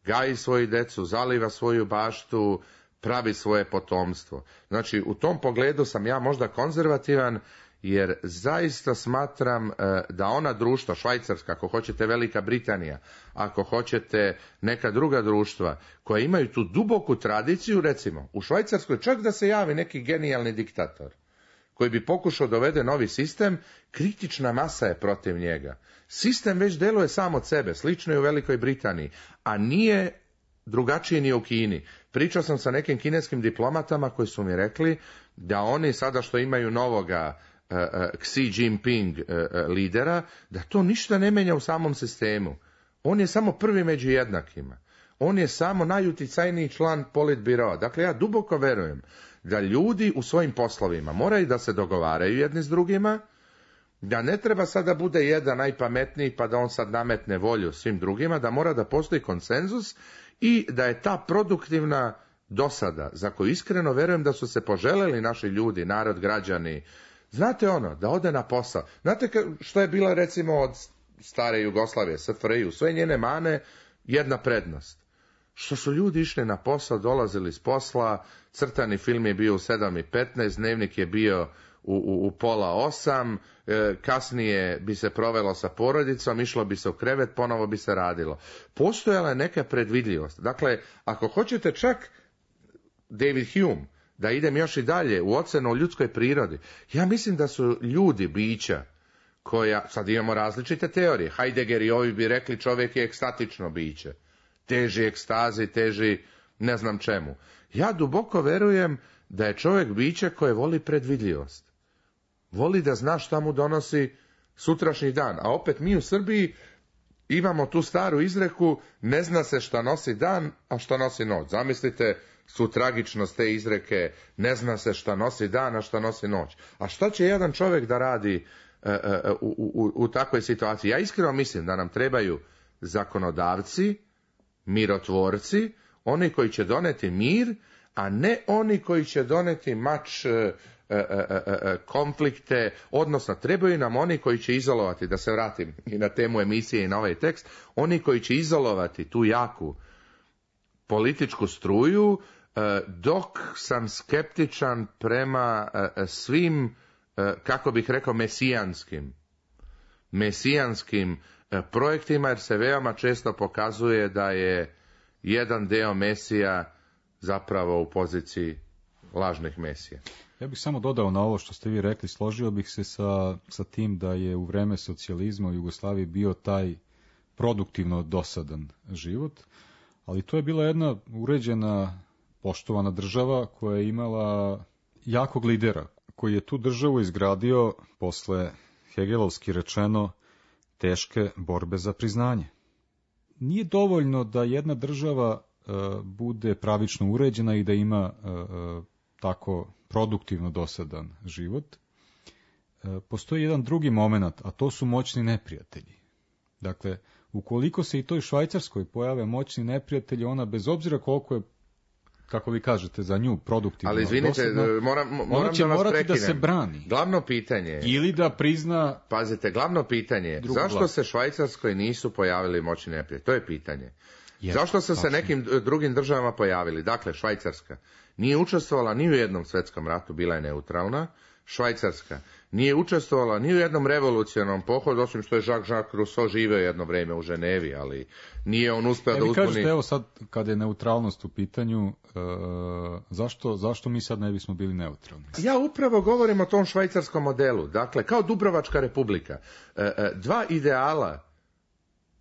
gaji svoju decu, zaliva svoju baštu, pravi svoje potomstvo. Znači, u tom pogledu sam ja možda konzervativan, jer zaista smatram da ona društva, Švajcarska, ako hoćete Velika Britanija, ako hoćete neka druga društva, koja imaju tu duboku tradiciju, recimo, u Švajcarskoj čak da se javi neki genijalni diktator, koji bi pokušao dovede novi sistem, kritična masa je protiv njega. Sistem već deluje sam od sebe, slično je u Velikoj Britaniji, a nije drugačije ni u Kini. Pričao sam sa nekim kineskim diplomatama koji su mi rekli da oni sada što imaju novoga uh, uh, Xi Jinping uh, uh, lidera, da to ništa ne menja u samom sistemu. On je samo prvi među jednakima. On je samo najuticajniji član politbiroa. Dakle, ja duboko verujem da ljudi u svojim poslovima moraju da se dogovaraju jedni s drugima, da ne treba sada bude jedan najpametniji pa da on sad nametne volju svim drugima, da mora da postoji konsenzus i da je ta produktivna dosada, za koju iskreno verujem da su se poželeli naši ljudi, narod, građani, znate ono, da ode na posao. Znate što je bila recimo od stare Jugoslavije, S F R I, u sve njene mane, jedna prednost. Što su ljudi išli na posao, dolazili s posla, crtani film je bio u sedam i petnaest, dnevnik je bio u, u, u pola osam, e, kasnije bi se provelo sa porodicom, išlo bi se u krevet, ponovo bi se radilo. Postojala je neka predvidljivost. Dakle, ako hoćete čak David Hume, da idem još i dalje u ocenu o ljudskoj prirodi, ja mislim da su ljudi bića koja, sad imamo različite teorije, Heidegger i ovi bi rekli čovjek je ekstatično biće, teži ekstazi, teži ne znam čemu. Ja duboko verujem da je čovjek biće koje voli predvidljivost. Voli da zna šta mu donosi sutrašnji dan. A opet mi u Srbiji imamo tu staru izreku, ne zna se šta nosi dan, a šta nosi noć. Zamislite su tragičnost te izreke, ne zna se šta nosi dan, a šta nosi noć. A šta će jedan čovjek da radi uh, uh, u, u, u takvoj situaciji? Ja iskreno mislim da nam trebaju zakonodavci, mirotvorci, oni koji će doneti mir, a ne oni koji će doneti mač, uh, uh, uh, uh, konflikte, odnosno trebaju nam oni koji će izolovati, da se vratim i na temu emisije i na ovaj tekst, oni koji će izolovati tu jaku političku struju, dok sam skeptičan prema svim, kako bih rekao, mesijanskim, mesijanskim projektima, jer se veoma često pokazuje da je jedan deo mesija zapravo u poziciji lažnih mesija. Ja bih samo dodao na ovo što ste vi rekli, složio bih se sa, sa tim da je u vreme socijalizma u Jugoslaviji bio taj produktivno dosadan život, ali to je bila jedna uređena, poštovana država koja je imala jakog lidera, koji je tu državu izgradio posle, hegelovski rečeno, teške borbe za priznanje. Nije dovoljno da jedna država e, bude pravično uređena i da ima e, e, tako produktivno dosadan život. E, postoji jedan drugi moment, a to su moćni neprijatelji. Dakle, ukoliko se i toj Švajcarskoj pojave moćni neprijatelji, ona bez obzira koliko je, kako vi kažete, za nju produktivno. Ali izvinite, dosadno, moram, moram ona će da vas morati prekinem. da se brani. Glavno pitanje je, ili da prizna... Pazite, glavno pitanje je, zašto vlast. se Švajcarskoj nisu pojavili moćni neprijatelji? To je pitanje. Je, zašto su se nekim drugim državama pojavili? Dakle, Švajcarska nije učestvovala ni u jednom svjetskom ratu, bila je neutralna. Švajcarska nije učestvovala ni u jednom revolucionarnom pohodu, osim što je Jacques-Jacques Rousseau živeo jedno vrijeme u Ženevi, ali nije on uspeo e, da uzbuni... Kažete, evo sad, kad je neutralnost u pitanju, e, zašto, zašto mi sad ne bismo bili neutralni? Ja upravo govorim o tom švajcarskom modelu. Dakle, kao Dubrovačka republika. E, e, dva ideala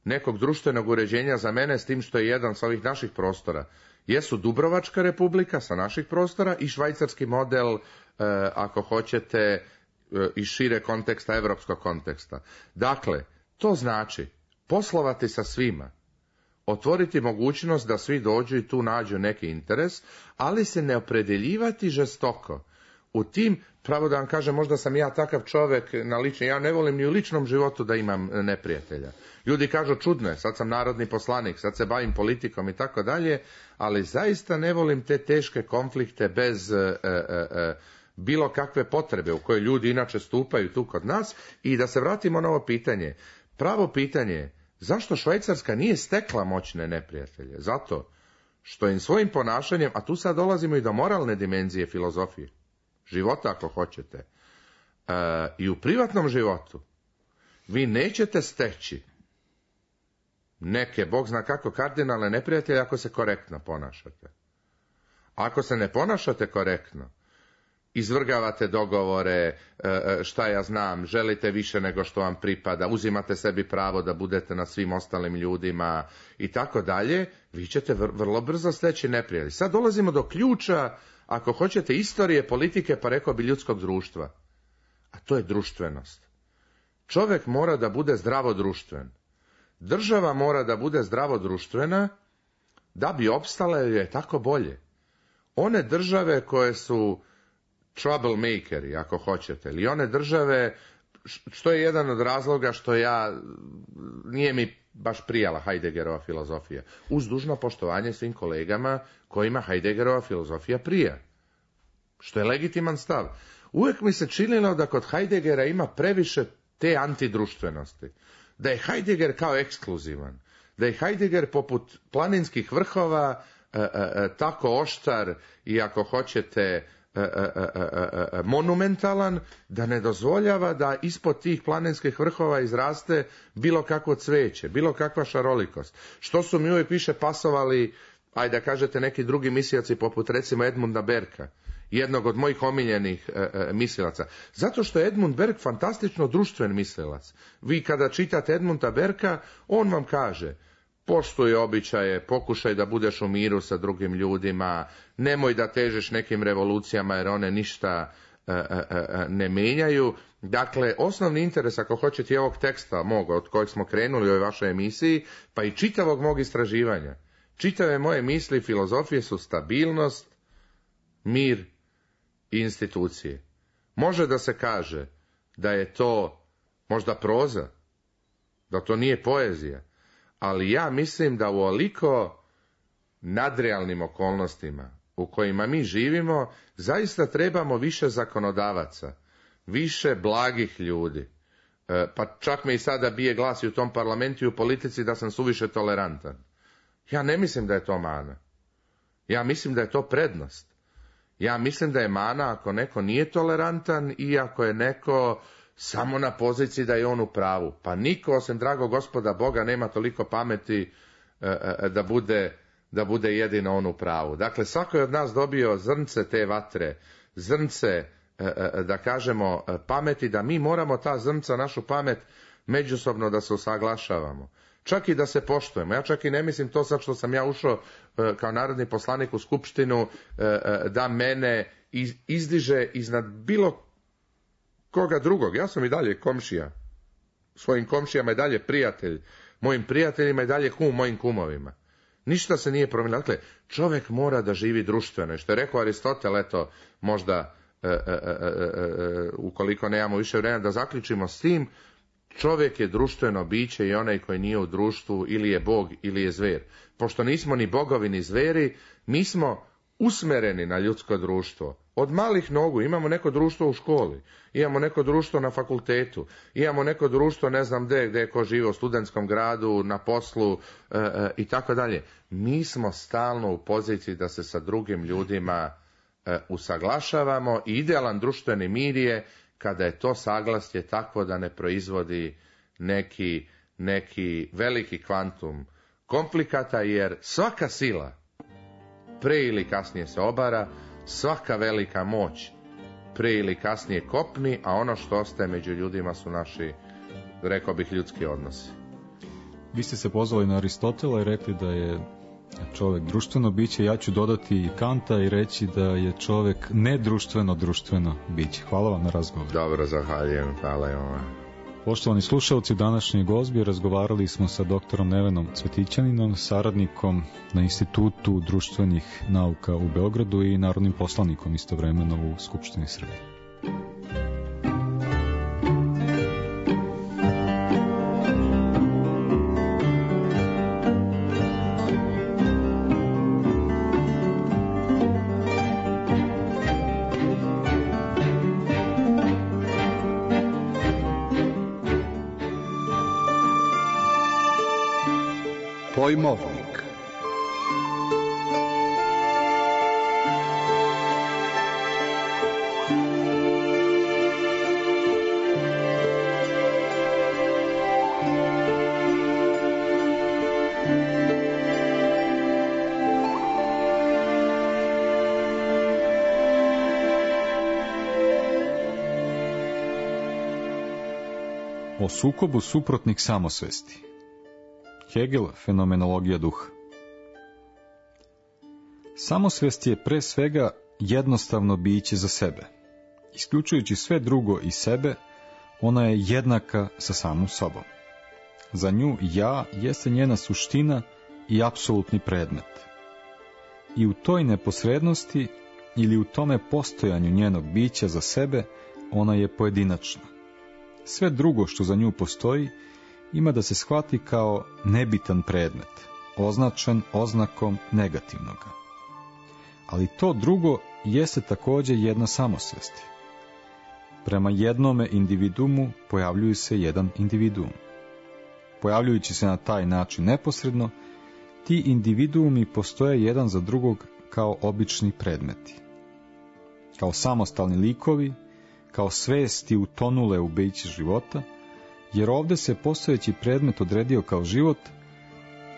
nekog društvenog uređenja za mene, s tim što je jedan sa ovih naših prostora, jesu Dubrovačka republika sa naših prostora i švajcarski model, e, ako hoćete, e, iz šire konteksta, evropskog konteksta. Dakle, to znači poslovati sa svima, otvoriti mogućnost da svi dođu i tu nađu neki interes, ali se ne opredeljivati žestoko. U tim, pravo da vam kažem, možda sam ja takav čovjek na lični, ja ne volim ni u ličnom životu da imam neprijatelja. Ljudi kažu, čudno je, sad sam narodni poslanik, sad se bavim politikom i tako dalje, ali zaista ne volim te teške konflikte bez e, e, e, bilo kakve potrebe u koje ljudi inače stupaju tu kod nas. I da se vratimo na ovo pitanje. Pravo pitanje je, zašto Švajcarska nije stekla moćne neprijatelje? Zato što im svojim ponašanjem, a tu sad dolazimo i do moralne dimenzije filozofije, života ako hoćete, e, i u privatnom životu, vi nećete steći neke, Bog zna kako, kardinalne neprijatelje ako se korektno ponašate. Ako se ne ponašate korektno, izvrgavate dogovore, šta ja znam, želite više nego što vam pripada, uzimate sebi pravo da budete nad svim ostalim ljudima i tako dalje, vi ćete vrlo brzo steći neprijatelji. Sad dolazimo do ključa, ako hoćete, istorije, politike, pa rekao bi ljudskog društva. A to je društvenost. Čovjek mora da bude zdravo društven. Država mora da bude zdravo društvena da bi opstala, jer je tako bolje. One države koje su troublemakeri, ako hoćete, ili one države, što je jedan od razloga što ja, nije mi baš prijala Heideggerova filozofija, uz dužno poštovanje svim kolegama kojima Heideggerova filozofija prija, što je legitiman stav. Uvijek mi se činilo da kod Heideggera ima previše te antidruštvenosti, da je Heidegger kao ekskluzivan, da je Heidegger poput planinskih vrhova e, e, e, tako oštar i ako hoćete e, e, e, e, monumentalan, da ne dozvoljava da ispod tih planinskih vrhova izraste bilo kakvo cveće, bilo kakva šarolikost. Što su mi uvijek više pasovali, ajde da kažete, neki drugi mislioci poput recimo Edmunda Berka, jednog od mojih omiljenih e, e, mislilaca. Zato što je Edmund Berg fantastično društven mislilac. Vi kada čitate Edmunda Berka, on vam kaže, poštuj običaje, pokušaj da budeš u miru sa drugim ljudima, nemoj da težeš nekim revolucijama jer one ništa ne mijenjaju. Dakle, osnovni interes, ako hoćete, i ovog teksta mog, od kojeg smo krenuli u ovoj vašoj emisiji, pa i čitavog mog istraživanja, čitave moje misli i filozofije su stabilnost, mir i institucije. Može da se kaže da je to možda proza, da to nije poezija, ali ja mislim da u oliko nadrealnim okolnostima u kojima mi živimo, zaista trebamo više zakonodavaca, više blagih ljudi. E, pa čak me i sada bije glas i u tom parlamentu i u politici da sam suviše tolerantan. Ja ne mislim da je to mana. Ja mislim da je to prednost. Ja mislim da je mana ako neko nije tolerantan i ako je neko samo na poziciji da je on u pravu. Pa niko, osim dragog Gospoda Boga, nema toliko pameti e, e, da bude da bude jedino on u pravu. Dakle, svako je od nas dobio zrnce te vatre, zrnce, da kažemo, pameti, da mi moramo ta zrnca, našu pamet, međusobno da se usaglašavamo. Čak i da se poštujemo. Ja čak i ne mislim to sad što sam ja ušao kao narodni poslanik u skupštinu, da mene izdiže iznad bilo koga drugog. Ja sam i dalje komšija. Svojim komšijama i dalje prijatelj. Mojim prijateljima i dalje kum, mojim kumovima. Ništa se nije promijenilo. Dakle, čovjek mora da živi društveno. I što je rekao Aristotel, eto, možda, e, e, e, e, ukoliko nemamo više vremena, da zaključimo s tim, čovjek je društveno biće i onaj koji nije u društvu ili je bog ili je zver. Pošto nismo ni bogovi ni zveri, mi smo usmereni na ljudsko društvo. Od malih nogu imamo neko društvo u školi, imamo neko društvo na fakultetu, imamo neko društvo ne znam gdje, gdje je ko živi u studentskom gradu, na poslu e, e, i tako dalje. Mi smo stalno u poziciji da se sa drugim ljudima e, usaglašavamo i idealan društveni mir je kada je to saglasje takvo da ne proizvodi neki, neki veliki kvantum komplikata, jer svaka sila pre ili kasnije se obara, svaka velika moć pre ili kasnije kopni, a ono što ostaje među ljudima su naši, rekao bih, ljudski odnosi. Vi ste se pozvali na Aristotela i rekli da je čovjek društveno biće. Ja ću dodati i Kanta i reći da je čovjek nedruštveno društveno biće. Hvala vam na razgovor. Dobro, zahvaljujem. Hvala i vama. Poštovani slušalci, u današnjoj gozbi razgovarali smo sa doktorom Nevenom Cvetićaninom, saradnikom na Institutu društvenih nauka u Beogradu i narodnim poslanikom istovremeno u Skupštini Srbije. Pojmovnik. O sukobu suprotnih samosvesti. Hegel, fenomenologija duha. Samosvest je pre svega jednostavno biće za sebe. Isključujući sve drugo i sebe, ona je jednaka sa samom sobom. Za nju ja jeste njena suština i apsolutni predmet. I u toj neposrednosti ili u tome postojanju njenog bića za sebe, ona je pojedinačna. Sve drugo što za nju postoji ima da se shvati kao nebitan predmet, označen oznakom negativnoga. Ali to drugo jeste također jedna samosvest. Prema jednome individuumu pojavljuju se jedan individuum. Pojavljujući se na taj način neposredno, ti individuumi postoje jedan za drugog kao obični predmeti. Kao samostalni likovi, kao svesti utonule u biće života, jer ovdje se postojeći predmet odredio kao život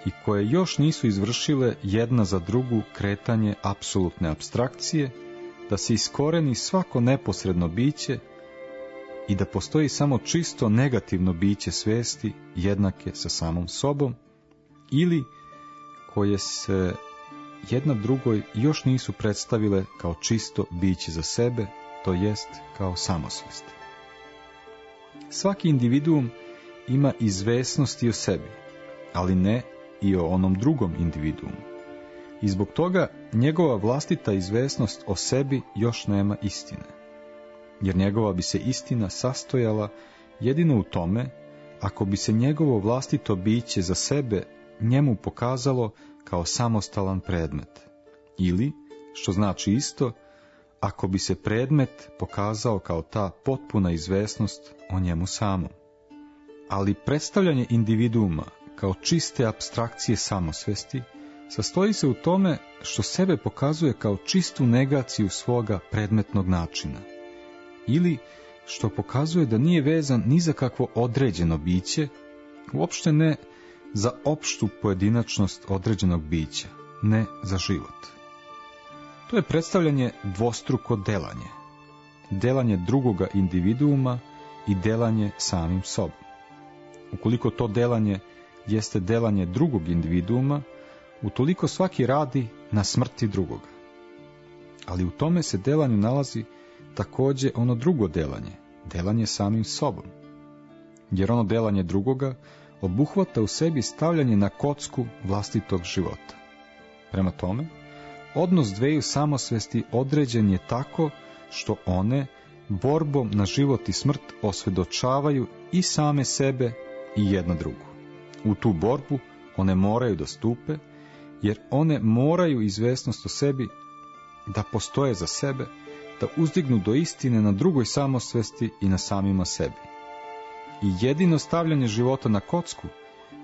i koje još nisu izvršile jedna za drugu kretanje apsolutne apstrakcije, da se iskoreni svako neposredno biće i da postoji samo čisto negativno biće svesti jednake sa samom sobom, ili koje se jedna drugoj još nisu predstavile kao čisto biće za sebe, to jest kao samosvest. Svaki individuum ima izvesnosti o sebi, ali ne i o onom drugom individuumu. I zbog toga njegova vlastita izvesnost o sebi još nema istine. Jer njegova bi se istina sastojala jedino u tome ako bi se njegovo vlastito biće za sebe njemu pokazalo kao samostalan predmet. Ili, što znači isto, ako bi se predmet pokazao kao ta potpuna izvesnost o njemu samom. Ali predstavljanje individuuma kao čiste apstrakcije samosvesti sastoji se u tome što sebe pokazuje kao čistu negaciju svoga predmetnog načina. Ili što pokazuje da nije vezan ni za kakvo određeno biće, uopšte ne za opštu pojedinačnost određenog bića, ne za život. To je predstavljanje dvostruko delanje. Delanje drugoga individuuma i delanje samim sobom. Ukoliko to delanje jeste delanje drugog individuuma, utoliko svaki radi na smrti drugoga. Ali u tome se delanju nalazi također ono drugo delanje, delanje samim sobom. Jer ono delanje drugoga obuhvata u sebi stavljanje na kocku vlastitog života. Prema tome, odnos dveju samosvesti određen je tako što one borbom na život i smrt osvedočavaju i same sebe i jedna drugu. U tu borbu one moraju da stupe, jer one moraju izvesnost o sebi da postoje za sebe, da uzdignu do istine na drugoj samosvesti i na samima sebi. I jedino stavljanje života na kocku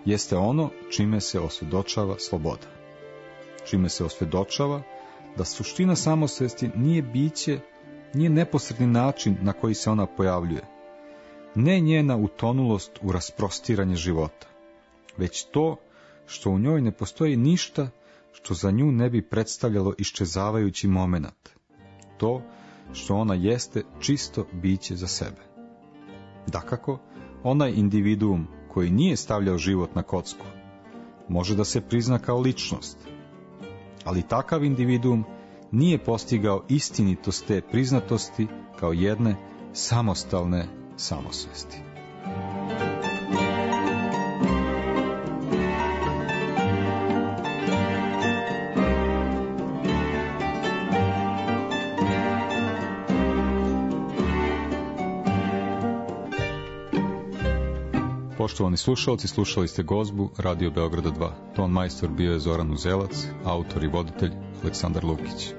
jeste ono čime se osvedočava sloboda. Čime se osvedočava da suština samosvesti nije biće, nije neposredni način na koji se ona pojavljuje, ne njena utonulost u rasprostiranje života, već to što u njoj ne postoji ništa što za nju ne bi predstavljalo iščezavajući momenat, to što ona jeste čisto biće za sebe. Dakako, onaj individuum koji nije stavljao život na kocku može da se prizna kao ličnost, ali takav individuum nije postigao istinitost te priznatosti kao jedne samostalne samosvesti. Poštovani slušalci, slušali ste Gozbu Radio Beograda dva. Ton majstor bio je Zoran Uzelac, autor i voditelj Aleksandar Lukić.